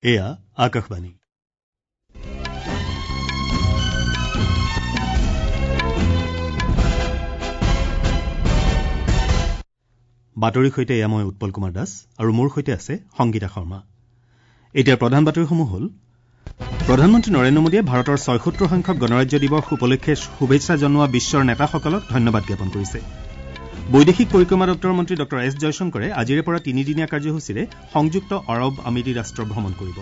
এয়া আকাশবাণী। বাতৰিৰ সৈতে এয়া মই উৎপল কুমাৰ দাস আৰু মোৰ সৈতে আছে সংগীতা শৰ্মা। এতিয়া প্ৰধান বাতৰিসমূহ হ'ল: প্ৰধানমন্ত্ৰী নৰেন্দ্ৰ মোদীয়ে ভাৰতৰ ৭৬ সংখ্যক গণৰাজ্য দিৱস উপলক্ষে শুভেচ্ছা জনোৱা বিশ্বৰ নেতাসকলক ধন্যবাদ জ্ঞাপন কৰিছে। বৈদেশিক পৰিক্ৰমা দপ্তৰৰ মন্ত্ৰী ডঃ এছ জয়শংকৰে আজিৰে পৰা তিনিদিনীয়া কাৰ্যসূচীৰে সংযুক্ত আৰৱ আমিৰি ৰাষ্ট্ৰ ভ্ৰমণ কৰিব।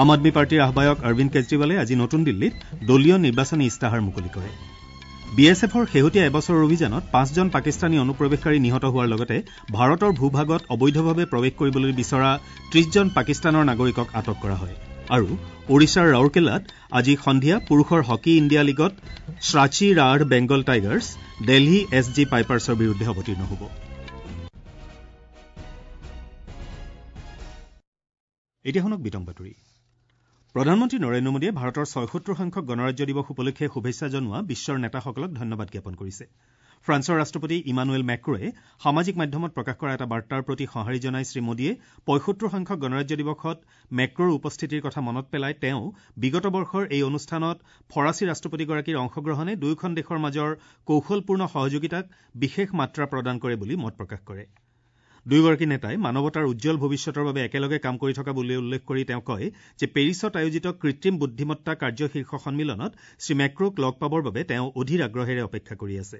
আম আদমী পাৰ্টীৰ আহ্বায়ক অৰবিন্দ কেজৰিৱালে আজি নতুন দিল্লীত দলীয় নিৰ্বাচনী ইস্তাহাৰ মুকলি কৰে। বি এছ এফৰ শেহতীয়া এবছৰৰ অভিযানত পাঁচজন পাকিস্তানী অনুপ্ৰৱেশকাৰী নিহত হোৱাৰ লগতে ভাৰতৰ ভূভাগত অবৈধভাৱে প্ৰৱেশ কৰিবলৈ বিচৰা ৩০জন পাকিস্তানৰ নাগৰিকক আটক কৰা হয়। আৰু ওড়িশাৰ ৰাউৰকেলাত আজি সন্ধিয়া পুৰুষৰ হকী ইণ্ডিয়া লীগত Shrachi Rarh Bengal Tigers Delhi S G পাইপাৰ্ছৰ বিৰুদ্ধে অৱতীৰ্ণ হ'ব। এতিয়া শুনক বিতং বাতৰি। প্ৰধানমন্ত্ৰী নৰেন্দ্ৰ মোদীয়ে ভাৰতৰ ৭৬ সংখ্যক গণৰাজ্য দিৱস উপলক্ষে শুভেচ্ছা জনোৱা বিশ্বৰ নেতাসকলক ধন্যবাদ জ্ঞাপন কৰিছে। ফ্ৰান্সৰ ৰাষ্ট্ৰপতি ইমানুৱেল মেক্ৰয়ে সামাজিক মাধ্যমত প্ৰকাশ কৰা এটা বাৰ্তাৰ প্ৰতি সঁহাৰি জনাই শ্ৰীমোদীয়ে ৭৫ সংখ্যক গণৰাজ্য দিৱসত মেক্ৰৰ উপস্থিতিৰ কথা মনত পেলাই তেওঁ বিগত বৰ্ষৰ এই অনুষ্ঠানত ফৰাচী ৰাষ্ট্ৰপতিগৰাকীৰ অংশগ্ৰহণে দুয়োখন দেশৰ মাজৰ কৌশলপূৰ্ণ সহযোগিতাক বিশেষ মাত্ৰা প্ৰদান কৰে বুলি মত প্ৰকাশ কৰে। দুয়োগৰাকী নেতাই মানৱতাৰ উজ্জ্বল ভৱিষ্যতৰ বাবে একেলগে কাম কৰি থকা বুলি উল্লেখ কৰি তেওঁ কয় যে পেৰিছত আয়োজিত কৃত্ৰিম বুদ্ধিমত্তা কাৰ্য শীৰ্ষ সন্মিলনত শ্ৰীমেক্ৰক লগ পাবৰ বাবে তেওঁ অধীৰ আগ্ৰহেৰে অপেক্ষা কৰি আছে।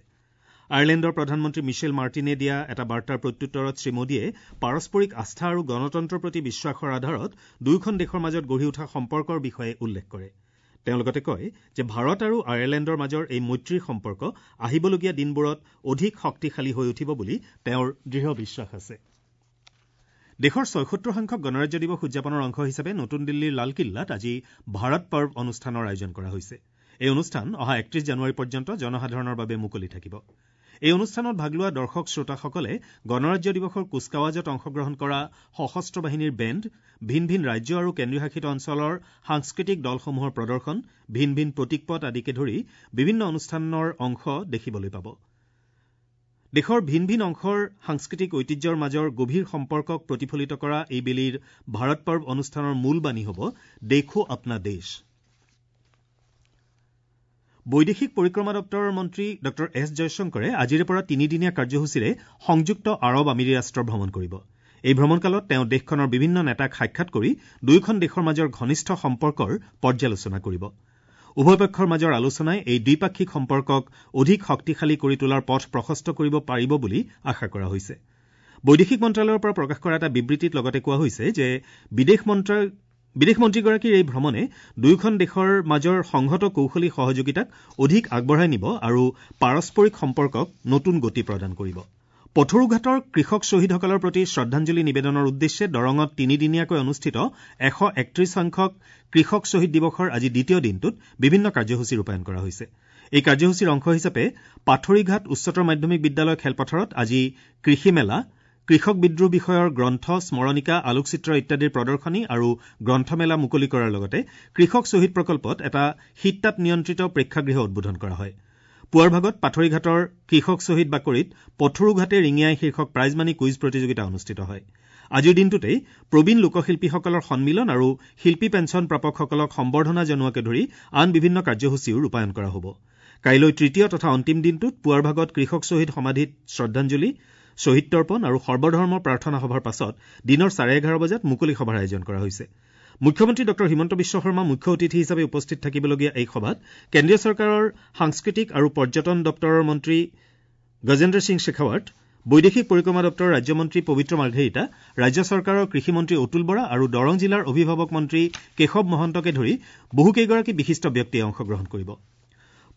আয়াৰলেণ্ডৰ প্ৰধানমন্ত্ৰী মিছেল মাৰ্টিনে দিয়া এটা বাৰ্তাৰ প্ৰত্যুত্তৰত শ্ৰীমোদীয়ে পাৰস্পৰিক আস্থা আৰু গণতন্ত্ৰৰ প্ৰতি বিশ্বাসৰ আধাৰত দুয়োখন দেশৰ মাজত গঢ়ি উঠা সম্পৰ্কৰ বিষয়ে উল্লেখ কৰে। তেওঁ লগতে কয় যে ভাৰত আৰু আয়াৰলেণ্ডৰ মাজৰ এই মৈত্ৰীৰ সম্পৰ্ক আহিবলগীয়া দিনবোৰত অধিক শক্তিশালী হৈ উঠিব বুলি তেওঁৰ দৃঢ় বিশ্বাস আছে। দেশৰ ৭৬ সংখ্যক গণৰাজ্য দিৱস উদযাপনৰ অংশ হিচাপে নতুন দিল্লীৰ লালকিল্লাত আজি ভাৰত পৰ্ব অনুষ্ঠানৰ আয়োজন কৰা হৈছে। এই অনুষ্ঠান অহা ৩১ জানুৱাৰী পৰ্যন্ত জনসাধাৰণৰ বাবে মুকলি থাকিব। এই অনুষ্ঠানত ভাগ লোৱা দৰ্শক শ্ৰোতাসকলে গণৰাজ্য দিৱসৰ কুচকাৱাজত অংশগ্ৰহণ কৰা সশস্ত্ৰ বাহিনীৰ বেণ্ড, ভিন ভিন ৰাজ্য আৰু কেন্দ্ৰীয় শাসিত অঞ্চলৰ সাংস্কৃতিক দলসমূহৰ প্ৰদৰ্শন, ভিন ভিন প্ৰতীকপট আদিকে ধৰি বিভিন্ন অনুষ্ঠানৰ অংশ দেখিবলৈ পাব। দেশৰ ভিন ভিন অংশৰ সাংস্কৃতিক ঐতিহ্যৰ মাজৰ গভীৰ সম্পৰ্কক প্ৰতিফলিত কৰা এইবেলিৰ ভাৰত পৰ্ব অনুষ্ঠানৰ মূল বাণী হ'ব দেখো আপনা দেশ। বৈদেশিক পৰিক্ৰমা দপ্তৰৰ মন্ত্ৰী ডঃ এছ জয়শংকৰে আজিৰে পৰা তিনিদিনীয়া কাৰ্যসূচীৰে সংযুক্ত আৰৱ আমিৰি ৰাষ্ট্ৰ ভ্ৰমণ কৰিব। এই ভ্ৰমণকালত তেওঁ দেশখনৰ বিভিন্ন নেতাক সাক্ষাৎ কৰি দুয়োখন দেশৰ মাজৰ ঘনিষ্ঠ সম্পৰ্কৰ পৰ্যালোচনা কৰিব। উভয় পক্ষৰ মাজৰ আলোচনাই এই দ্বিপাক্ষিক সম্পৰ্কক অধিক শক্তিশালী কৰি তোলাৰ পথ প্ৰশস্ত কৰিব পাৰিব বুলি আশা কৰা হৈছে। বৈদেশিক মন্ত্ৰালয়ৰ পৰা প্ৰকাশ কৰা এটা বিবৃতিত লগতে কোৱা হৈছে যে বিদেশ মন্ত্ৰীগৰাকীৰ এই ভ্ৰমণে দুয়োখন দেশৰ মাজৰ সংহত কৌশলী সহযোগিতাক অধিক আগবঢ়াই নিব আৰু পাৰস্পৰিক সম্পৰ্কক নতুন গতি প্ৰদান কৰিব। পথৰুঘাটৰ কৃষক শ্বহীদসকলৰ প্ৰতি শ্ৰদ্ধাঞ্জলি নিবেদনৰ উদ্দেশ্যে দৰঙত তিনিদিনীয়াকৈ অনুষ্ঠিত ১৩১ সংখ্যক কৃষক শ্বহীদ দিৱসৰ আজি দ্বিতীয় দিনটোত বিভিন্ন কাৰ্যসূচী ৰূপায়ণ কৰা হৈছে। এই কাৰ্যসূচীৰ অংশ হিচাপে পাথৰিঘাট উচ্চতৰ মাধ্যমিক বিদ্যালয় খেলপথাৰত আজি কৃষি মেলা, কৃষক বিদ্ৰোহ বিষয়ৰ গ্ৰন্থ, স্মৰণিকা, আলোকচিত্ৰ ইত্যাদিৰ প্ৰদৰ্শনী আৰু গ্ৰন্থমেলা মুকলি কৰাৰ লগতে কৃষক শ্বহীদ প্ৰকল্পত এটা শীততাপ নিয়ন্ত্ৰিত প্ৰেক্ষাগৃহ উদ্বোধন কৰা হয়। পুৱাৰ ভাগত পাথৰিঘাটৰ কৃষক শ্বহীদ বাকৰিত পথৰুঘাটে ৰিঙিয়াই শীৰ্ষক প্ৰাইজমানী কুইজ প্ৰতিযোগিতা অনুষ্ঠিত হয়। আজিৰ দিনটোতেই প্ৰবীণ লোকশিল্পীসকলৰ সন্মিলন আৰু শিল্পী পেঞ্চন প্ৰাপকসকলক সম্বৰ্ধনা জনোৱাকে ধৰি আন বিভিন্ন কাৰ্যসূচীও ৰূপায়ণ কৰা হ'ব। কাইলৈ তৃতীয় তথা অন্তিম দিনটোত পুৱাৰ ভাগত কৃষক শ্বহীদ সমাধিত শ্ৰদ্ধাঞ্জলি, শ্বহীদ তৰ্পণ আৰু সৰ্বধৰ্ম প্ৰাৰ্থনা সভাৰ পাছত দিনৰ ১১:৩০ বজাত মুকলি সভাৰ আয়োজন কৰা হৈছে। মুখ্যমন্ত্ৰী ডঃ হিমন্ত বিশ্ব শৰ্মা মুখ্য অতিথি হিচাপে উপস্থিত থাকিবলগীয়া এই সভাত কেন্দ্ৰীয় চৰকাৰৰ সাংস্কৃতিক আৰু পৰ্যটন দপ্তৰৰ মন্ত্ৰী গজেন্দ্ৰ সিং শেখাৱাট, বৈদেশিক পৰিক্ৰমা দপ্তৰৰ ৰাজ্যমন্ত্ৰী পবিত্ৰ মাৰ্ঘেৰিটা, ৰাজ্য চৰকাৰৰ কৃষিমন্ত্ৰী অতুল বৰা আৰু দৰং জিলাৰ অভিভাৱক মন্ত্ৰী কেশৱ মহন্তকে ধৰি বহুকেইগৰাকী বিশিষ্ট ব্যক্তিয়ে অংশগ্ৰহণ কৰিব।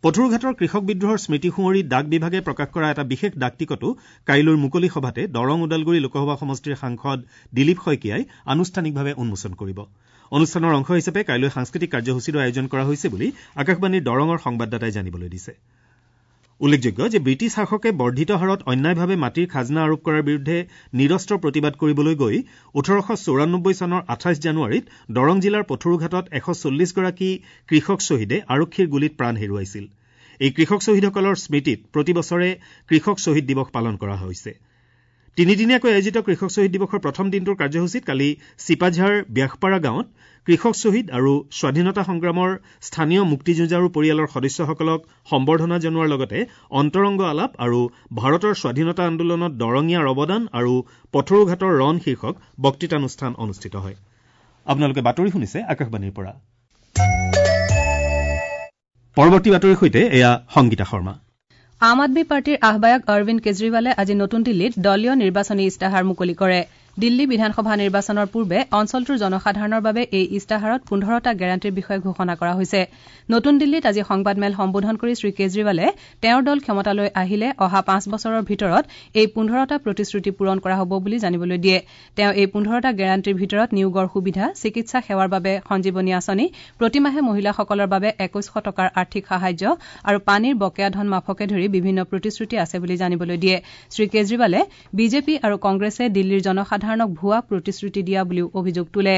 পথৰুঘাটৰ কৃষক বিদ্ৰোহৰ স্মৃতি সুঁৱৰি ডাক বিভাগে প্ৰকাশ কৰা এটা বিশেষ ডাক টিকটো কাইলৈৰ মুকলি সভাতে দৰং ওদালগুৰি লোকসভা সমষ্টিৰ সাংসদ দিলীপ শইকীয়াই আনুষ্ঠানিকভাৱে উন্মোচন কৰিব। অনুষ্ঠানৰ অংশ হিচাপে কাইলৈ সাংস্কৃতিক কাৰ্যসূচীৰো আয়োজন কৰা হৈছে বুলি আকাশবাণীৰ দৰঙৰ সংবাদদাতাই জানিবলৈ দিছে। উল্লেখযোগ্য যে ব্ৰিটিছ শাসকে বৰ্ধিত হাৰত অন্যায়ভাৱে মাটিৰ খাজনা আৰোপ কৰাৰ বিৰুদ্ধে নিৰস্ত্ৰ প্ৰতিবাদ কৰিবলৈ গৈ ১৮৯৪ চনৰ ২৮ জানুৱাৰীত দৰং জিলাৰ পথৰুঘাটত ১৪০গৰাকী কৃষক শ্বহীদে আৰক্ষীৰ গুলীত প্ৰাণ হেৰুৱাইছিল। এই কৃষক শ্বহীদসকলৰ স্মৃতিত প্ৰতি বছৰে কৃষক শ্বহীদ দিৱস পালন কৰা হৈছে। তিনিদিনীয়াকৈ আয়োজিত কৃষক শ্বহীদ দিৱসৰ প্ৰথম দিনটোৰ কাৰ্যসূচীত কালি চিপাঝাৰ ব্যাসপাৰা গাঁৱত কৃষক শ্বহীদ আৰু স্বাধীনতা সংগ্ৰামৰ স্থানীয় মুক্তিযুঁজাৰু পৰিয়ালৰ সদস্যসকলক সম্বৰ্ধনা জনোৱাৰ লগতে অন্তৰংগ আলাপ আৰু ভাৰতৰ স্বাধীনতা আন্দোলনত দৰঙীয়াৰ অৱদান আৰু পথৰুঘাটৰ ৰণ শীৰ্ষক বক্তৃতানুষ্ঠান অনুষ্ঠিত হয়। আপোনালোকে বাতৰি শুনিছে আকাশবাণীৰ পৰা। পৰৱৰ্তী বাতৰিৰ সৈতে এয়া সংগীতা শৰ্মা। আম আদমী পাৰ্টীৰ আহ্বায়ক অৰবিন্দ কেজৰিৱালে আজি নতুন দিল্লীত দলীয় নিৰ্বাচনী ইস্তাহাৰ মুকলি কৰে। দিল্লী বিধানসভা নিৰ্বাচনৰ পূৰ্বে অঞ্চলটোৰ জনসাধাৰণৰ বাবে এই ইস্তাহাৰত ১৫টা গেৰাণ্টিৰ বিষয়ে ঘোষণা কৰা হৈছে। নতুন দিল্লীত আজি সংবাদমেল সম্বোধন কৰি শ্ৰীকেজৰিৱালে তেওঁৰ দল ক্ষমতালৈ আহিলে অহা ৫ বছৰৰ ভিতৰত এই ১৫টা প্ৰতিশ্ৰুতি পূৰণ কৰা হ'ব বুলি জানিবলৈ দিয়ে। তেওঁ এই ১৫টা গেৰাণ্টিৰ ভিতৰত নিয়োগৰ সুবিধা, চিকিৎসা সেৱাৰ বাবে সঞ্জীৱনী আঁচনি, প্ৰতিমাহে মহিলাসকলৰ বাবে ২১শ টকাৰ আৰ্থিক সাহায্য আৰু পানীৰ বকেয়া ধন মাফকে ধৰি বিভিন্ন প্ৰতিশ্ৰুতি আছে বুলি জানিবলৈ দিয়ে। শ্ৰীকেজৰিৱালে বিজেপি আৰু কংগ্ৰেছে দিল্লীৰ জনসাধাৰণ ভুৱা প্ৰতিশ্ৰুতি দিয়া বুলিও অভিযোগ তোলে।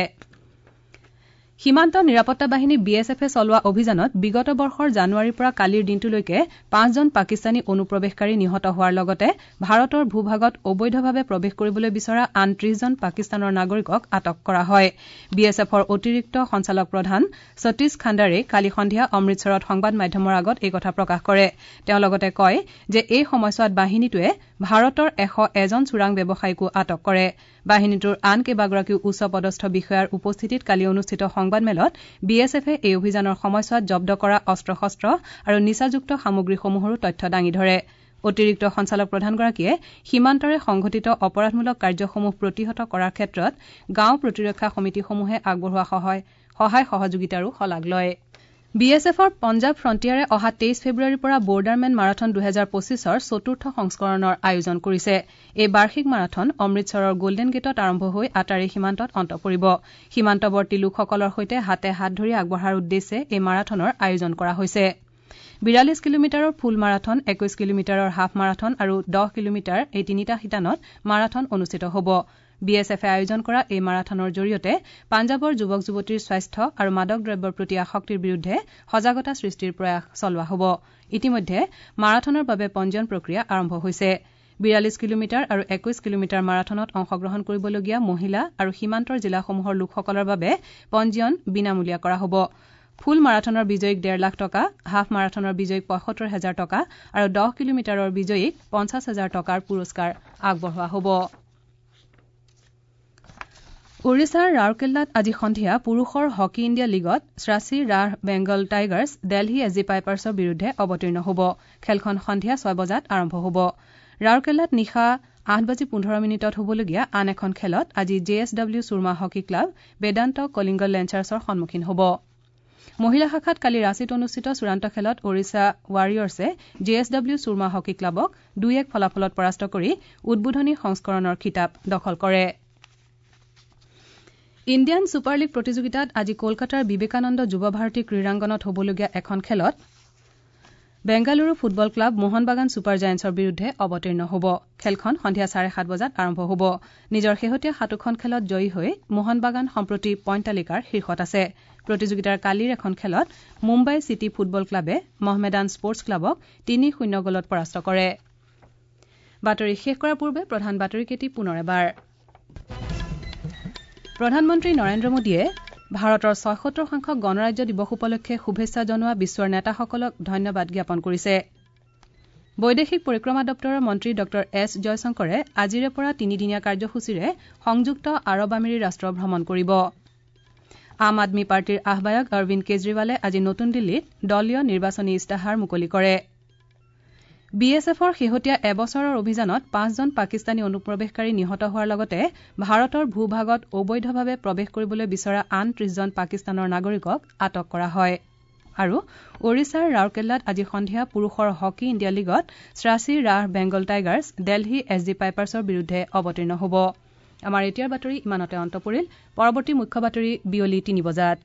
সীমান্ত নিৰাপত্তা বাহিনী বি এছ এফে চলোৱা অভিযানত বিগত বৰ্ষৰ জানুৱাৰীৰ পৰা কালিৰ দিনটোলৈকে ৫জন পাকিস্তানী অনুপ্ৰৱেশকাৰী নিহত হোৱাৰ লগতে ভাৰতৰ ভূভাগত অবৈধভাৱে প্ৰৱেশ কৰিবলৈ বিচৰা আন ৩০জন পাকিস্তানৰ নাগৰিকক আটক কৰা হয়। বি এছ এফৰ অতিৰিক্ত সঞ্চালক প্ৰধান সতীশ খাণ্ডাৰে কালি সন্ধিয়া অমৃতসৰত সংবাদ মাধ্যমৰ আগত এই কথা প্ৰকাশ কৰে। তেওঁ লগতে কয় যে এই সময়ছোৱাত বাহিনীটোৱে ভাৰতৰ ১০১জন চোৰাং ব্যৱসায়ীকো আটক কৰে। বাহিনীটোৰ আন কেইবাগৰাকীও উচ্চ পদস্থ বিষয়াৰ উপস্থিতিত কালি অনুষ্ঠিত সংবাদমেলত বি এছ এফে এই অভিযানৰ সময়ছোৱাত জব্দ কৰা অস্ত্ৰ শস্ত্ৰ আৰু নিচাযুক্ত সামগ্ৰীসমূহৰো তথ্য দাঙি ধৰে। অতিৰিক্ত সঞ্চালক প্ৰধানগৰাকীয়ে সীমান্তৰে সংঘটিত অপৰাধমূলক কাৰ্যসমূহ প্ৰতিহত কৰাৰ ক্ষেত্ৰত গাঁও প্ৰতিৰক্ষা সমিতিসমূহে আগবঢ়োৱা সহায় সহযোগিতাৰো শলাগ লয়। বি এছ এফৰ পঞ্জাৱ ফ্ৰণ্টিয়াৰে অহা ২৩ ফেব্ৰুৱাৰীৰ পৰা বৰ্ডাৰমেন মাৰাথন ২০২৫ৰ চতুৰ্থ সংস্কৰণৰ আয়োজন কৰিছে। এই বাৰ্ষিক মাৰাথন অমৃতসৰৰ গোল্ডেন গেটত আৰম্ভ হৈ আটাৰী সীমান্তত অন্ত পৰিব। সীমান্তৱৰ্তী লোকসকলৰ সৈতে হাতে হাত ধৰি আগবঢ়াৰ উদ্দেশ্যে এই মাৰাথনৰ আয়োজন কৰা হৈছে। ৪২ কিলোমিটাৰৰ ফুল মাৰাথন, ২১ কিলোমিটাৰৰ হাফ মাৰাথন আৰু ১০ কিলোমিটাৰ এই তিনিটা শিতানত মাৰাথন অনুষ্ঠিত হ'ব। বি এছ এফে আয়োজন কৰা এই মাৰাথনৰ জৰিয়তে পাঞ্জাৱৰ যুৱক যুৱতীৰ স্বাস্থ্য আৰু মাদক দ্ৰব্যৰ প্ৰতি আসক্তিৰ বিৰুদ্ধে সজাগতা সৃষ্টিৰ প্ৰয়াস চলোৱা হ'ব। ইতিমধ্যে মাৰাথনৰ বাবে পঞ্জীয়ন প্ৰক্ৰিয়া আৰম্ভ হৈছে। ৪২ কিলোমিটাৰ আৰু ২১ কিলোমিটাৰ মাৰাথনত অংশগ্ৰহণ কৰিবলগীয়া মহিলা আৰু সীমান্তৰ জিলাসমূহৰ লোকসকলৰ বাবে পঞ্জীয়ন বিনামূলীয়া কৰা হ'ব। ফুল মাৰাথনৰ বিজয়ীক ১.৫ লাখ টকা, হাফ মাৰাথনৰ বিজয়ীক ৭৫ হাজাৰ টকা আৰু ১০ কিলোমিটাৰৰ বিজয়ীক ৫০ হাজাৰ টকাৰ পুৰস্কাৰ আগবঢ়োৱা হ'ব। ওড়িশাৰ ৰাউৰকেল্লাত আজি সন্ধিয়া পুৰুষৰ হকী ইণ্ডিয়া লীগত ৰাঁচী Rarh Bengal tigers Delhi S G পাইপাৰ্ছৰ বিৰুদ্ধে অৱতীৰ্ণ হ'ব। খেলখন সন্ধিয়া ৬ বজাত আৰম্ভ হ'ব। ৰাউৰকেল্লাত নিশা ৮:১৫ হ'বলগীয়া আন এখন খেলত আজি J S W Soorma hockey club Bedanta Kalinga লেঞ্চাৰ্ছৰ সন্মুখীন হ'ব। মহিলা শাখাত কালি ৰাঁচীত অনুষ্ঠিত চূড়ান্ত খেলত Odisha ৱাৰিয়ৰ্ছে J S W Soorma hockey ক্লাবক ২-১ ফলাফলত পৰাস্ত কৰি উদ্বোধনী সংস্কৰণৰ খিতাপ দখল কৰে। ইণ্ডিয়ান ছুপাৰ লীগ প্ৰতিযোগিতাত আজি কলকাতাৰ বিবেকানন্দ যুৱ ভাৰতী ক্ৰীড়াংগনত হ'বলগীয়া এখন খেলত Bengaluru football club Mohun Bagan super জায়েণ্টছৰ বিৰুদ্ধে অৱতীৰ্ণ হ'ব। খেলখন সন্ধিয়া ৭:৩০ বজাত আৰম্ভ হ'ব। নিজৰ শেহতীয়া ৭খন খেলত জয়ী হৈ মোহন বাগান সম্প্ৰতি পইণ্ট তালিকাৰ শীৰ্ষত আছে। প্ৰতিযোগিতাৰ কালিৰ এখন খেলত মুম্বাই চিটি ফুটবল ক্লাবে মহমেদান স্পৰ্টছ ক্লাবক ৩-০ গ'লত পৰাস্ত কৰে। বাতৰি শেষ কৰাৰ পূৰ্বে প্ৰধান বাতৰিকেইটি পুনৰ এবাৰ। প্ৰধানমন্ত্ৰী নৰেন্দ্ৰ মোদীয়ে ভাৰতৰ ৭৬ সংখ্যক গণৰাজ্য দিৱস উপলক্ষে শুভেচ্ছা জনোৱা বিশ্বৰ নেতাসকলক ধন্যবাদ জ্ঞাপন কৰিছে। বৈদেশিক পৰিক্ৰমা দপ্তৰৰ মন্ত্ৰী ডঃ এছ জয়শংকৰে আজিৰে পৰা তিনিদিনীয়া কাৰ্যসূচীৰে সংযুক্ত আৰৱ আমিৰি ৰাষ্ট্ৰ ভ্ৰমণ কৰিব। আম আদমী পাৰ্টীৰ আহ্বায়ক অৰবিন্দ কেজৰিৱালে আজি নতুন দিল্লীত দলীয় নিৰ্বাচনী ইস্তাহাৰ মুকলি কৰে। বি এছ এফৰ শেহতীয়া এবছৰৰ অভিযানত ৫জন পাকিস্তানী অনুপ্ৰৱেশকাৰী নিহত হোৱাৰ লগতে ভাৰতৰ ভূভাগত অবৈধভাৱে প্ৰৱেশ কৰিবলৈ বিচৰা আন ৩০জন পাকিস্তানৰ নাগৰিকক আটক কৰা হয়। আৰু ওড়িশাৰ ৰাউৰকেল্লাত আজি সন্ধিয়া পুৰুষৰ হকী ইণ্ডিয়া লীগত ৰাঁচী Rarh Bengal tigers Delhi S G পাইপাৰ্ছৰ বিৰুদ্ধে অৱতীৰ্ণ হ'ব। আমাৰ এতিয়াৰ বাতৰি ইমানতে অন্ত পৰিল। পৰৱৰ্তী মুখ্য বাতৰি বিয়লি ৩ বজাত।